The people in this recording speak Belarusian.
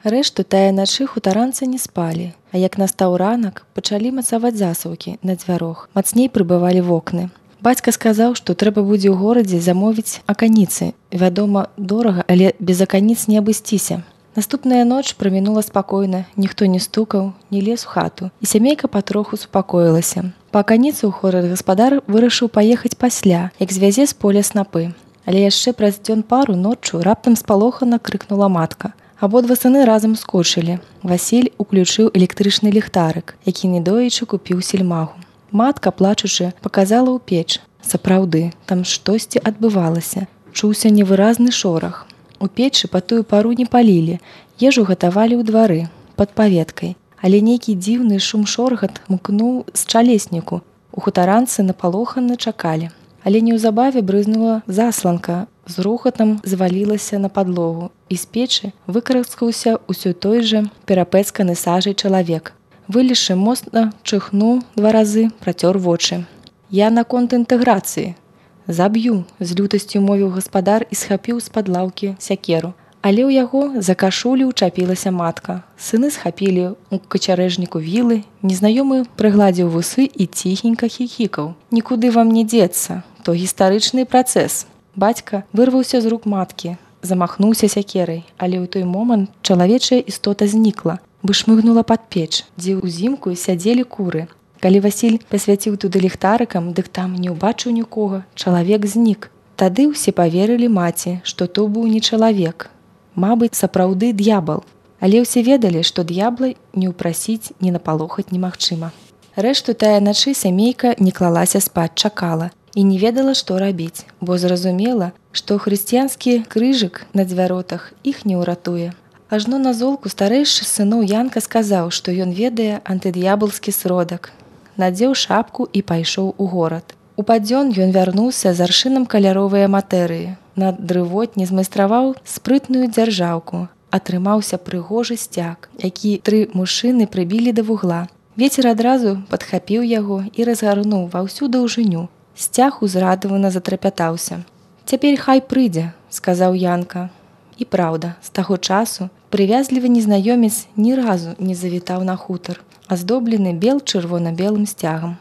Рэшту тая начы хутаранцы не спалі, а як настаў ранак, пачалі мацаваць засаўкі на дзвярох. Мацней прыбывалі вокны. Бацька сказаў, што трэба будзе ў горадзе замовіць аканіцы. Вядома, дорага, але без аканіц не абысціся. Наступная ноч прамінула спакойна, ніхто не стукаў, не лез у хату, і сямейка патроху супакоілася. Па аканіцу ў хорад гаспадар вырашыў паехаць пасля, як звязе з поля снапы. Але яшчэ праз дзён пару ноччу раптам спалохана крыкнула матка. Абодва сыны разам скочылі. Васіль уключыў электрычны ліхтарык, які недоечы купіў сельмагу. Матка, плачучы, паказала ў печ. Сапраўды, там штосьці адбывалася. Чуўся невыразны шорах. У печы па тую пару не палілі, ежу гатавалі ў двары, пад паветкай. Але нейкі дзіўны шум-шоргат мкнуў з чалесніку. У хутаранцы напалоханы чакалі. Але неўзабаве брызнула засланка, з рухатам звалілася на падлогу, і з печы выкараскаўся ўсё той жа перапэцканы сажай чалавек. Вылезшы моцна чыхнуў 2 разы, працёр вочы. «Я наконт інтэграцыі. Заб'ю», – з лютасцю мовіў гаспадар і схапіў з-пад лаўкі сякеру. Але ў яго за кашулю ўчапілася матка. Сыны схапілі ў качарэжніку вілы, незнаёмы прыгладзіў вусы і ціхенька хіхікаў. «Нікуды вам не дзецца, то гістарычны працэс». Бацька вырваўся з рук маткі, замахнуўся сякерай, але ў той момант чалавечая істота знікла, вышмыгнула пад печ, дзе ўзімку сядзелі куры. Калі Васіль пасвяціў туды ліхтарыкам, дык там не ўбачыў нікога, чалавек знік. Тады ўсе паверылі маці, што то быў не чалавек. Мабыць, сапраўды д'ябал. Але ўсе ведалі, што д'ябла не ўпрасіць, не напалохаць немагчыма. Рэшту тая начы сямейка не клалася спаць, чакала і не ведала, што рабіць, бо зразумела, што хрысціянскі крыжык на дзвяротах іх не ўратуе. Ажно на золку старэйшы з сыноў Янка сказаў, што ён ведае антыд'ябалскі сродак. Надзеў шапку і пайшоў у горад. У падзён ён вярнуўся з аршынам каляровыя матэрыі. На дрывотні змайстраваў спрытную дзяржаўку. Атрымаўся прыгожы сцяг, які 3 мужчыны прыбілі да вугла. Вецер адразу падхапіў яго і разгарнуў ва ўсю даўжыню. Сцяг узрадавана затрапятаўся. «Цяпер хай прыйдзе», – сказаў Янка. І праўда, з таго часу прывязлівы незнаёмец ні разу не завітаў на хутар, аздоблены бел-чырвона-белым сцягам.